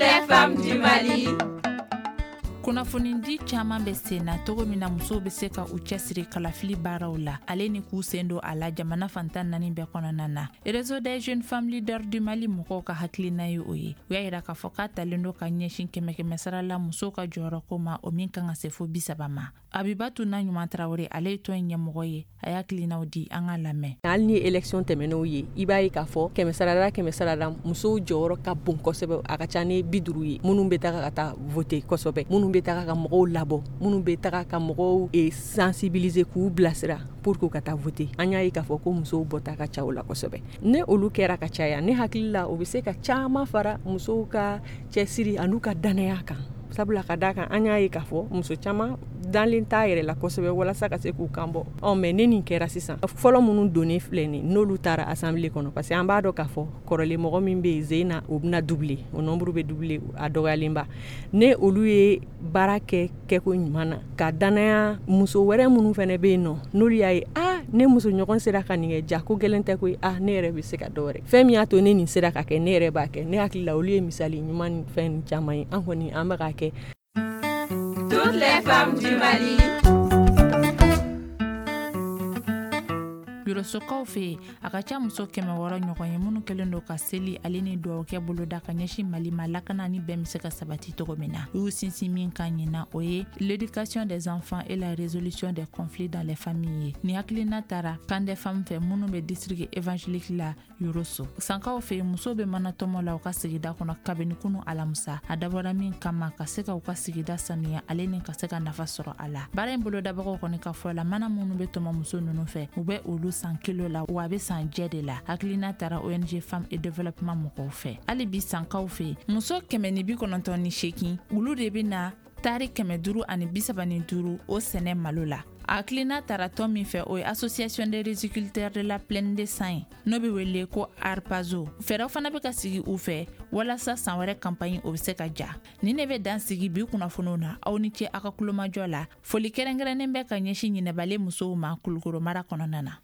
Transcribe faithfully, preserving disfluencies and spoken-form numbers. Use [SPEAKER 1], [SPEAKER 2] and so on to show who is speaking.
[SPEAKER 1] Les femmes du Mali.
[SPEAKER 2] Kunnafonidi caman bɛ sen na cogo min na musow bɛ se ka u cɛsiri kalafili baaraw la, ale ni k'u sen don a la jamana fantan naani bɛɛ kɔnɔna na. Réseau des jeunes femmes leaders du Mali mɔgɔw ka hakilina ye o ye. U y'a yira k'a fɔ k'a talen don ka ɲɛsin kɛmɛ kɛmɛ sara la musow ka jɔyɔrɔko ma, o min kan ka se fo bi saba ma. Abibatu na ɲuman Tarawele, ale ye tɔn in ɲɛmɔgɔ ye, a y'a hakilinaw di, an ka lamɛn.
[SPEAKER 3] Hali ni élection tɛmɛnenw ye, i b'a ye k'a fɔ kɛmɛ sarada kɛmɛ sarada, musow jɔyɔrɔ ka bon kosɛbɛ. A ka ca ni bi duuru ye minnu bɛ taga ka taa voter kosɛbɛ, minnu bɛ taga ka mɔgɔw labɔ, minnu bɛ taga ka mɔgɔw sensibiliser, k'u bilasira pour que ka taa voter. An y'a ye k'a fɔ ko musow bɔta ka ca o la kosɛbɛ. Ne olu kɛra ka caya, ne hakili la, o bɛ se ka caman fara musow ka cɛsiri an'u ka danaya kan, sabula ka d'a kan, an y'a ye k'a fɔ muso caman dalen t'a yɛrɛ la kosɛbɛ walasa ka se k'u kan bɔ. Ɔ mɛ ne nin kɛra sisan, fɔlɔ minnu donnen filɛ nin, n'olu taara assemblée kɔnɔ, parce que an b'a dɔn k'a fɔ kɔrɔlen mɔgɔ min bɛ yen Zena, o bɛna doubler, o nombre bɛ doubler a dɔgɔyalenba. Ne olu ye baara kɛ kɛko ɲuman na ka danaya muso wɛrɛ minnu fana bɛ yen nɔ, n'olu y'a ye: "Aa, ne muso ɲɔgɔn sera ka nin kɛ, ja ko gɛlɛn tɛ koyi. Ah, ne yɛrɛ bɛ se ka dɔ wɛrɛ. Fɛn min y'a to ne nin sera ka kɛ, ne yɛrɛ b'a kɛ." Ne hakili la, olu ye misali ɲuman ni fɛn caman ye. An kɔni, an bɛ k'a kɛ.
[SPEAKER 1] Toutes les femmes du Mali.
[SPEAKER 2] Yɔrɔsokaw fɛ yen, a ka ca muso kɛmɛ wɔɔrɔ ɲɔgɔn ye minnu kɛlen don ka seli ale ni dugawukɛ boloda ka ɲɛsin Mali ma, lakana ni bɛn bɛ se ka sabati cogo min na. U y'u sinsin min kan ɲina, o ye l'éducation des enfants et la résolution des conflits dans les familles ye. Ni hakilina taara Camp des femmes fɛ minnu bɛ district évangélique la Yoroso. Sankaw fɛ yen, musow bɛ mana tɔmɔ la u ka sigida kɔnɔ kabini kunu alamisa. A dabɔra min kama, ka se ka u ka sigida sanuya ale ni ka se ka nafa sɔrɔ a la. Baara in bolodabagaw kɔni ka fɔ la, mana minnu bɛ tɔmɔ muso ninnu fɛ, u bɛ olu san kilo la, wa a bɛ san jɛ de la. Hakilina taara O N G Femme et Développement mɔgɔw fɛ. Hali bi sankaw fɛ, muso kɛmɛ ni bi kɔnɔntɔn ni seegin, olu de bɛ na taari kɛmɛ duuru ani bisaba ni duuru o sɛnɛ malo la. A hakilina tara tɔn min fɛ, o ye Association des riziculteurs de la plaine de San ye, n'o bɛ wele ko ARPAZO. Fɛɛrɛw fana bɛ ka sigi u fɛ walasa san wɛrɛ campagne, o bɛ se ka ja. Nin de bɛ dan sigi bi kunnafoniw na. Aw ni ce aw ka kulomajɔ la. Foli kɛrɛnkɛrɛnnen bɛ ka ɲɛsin ɲinɛbalen musow ma Kulukoro mara kɔnɔna na.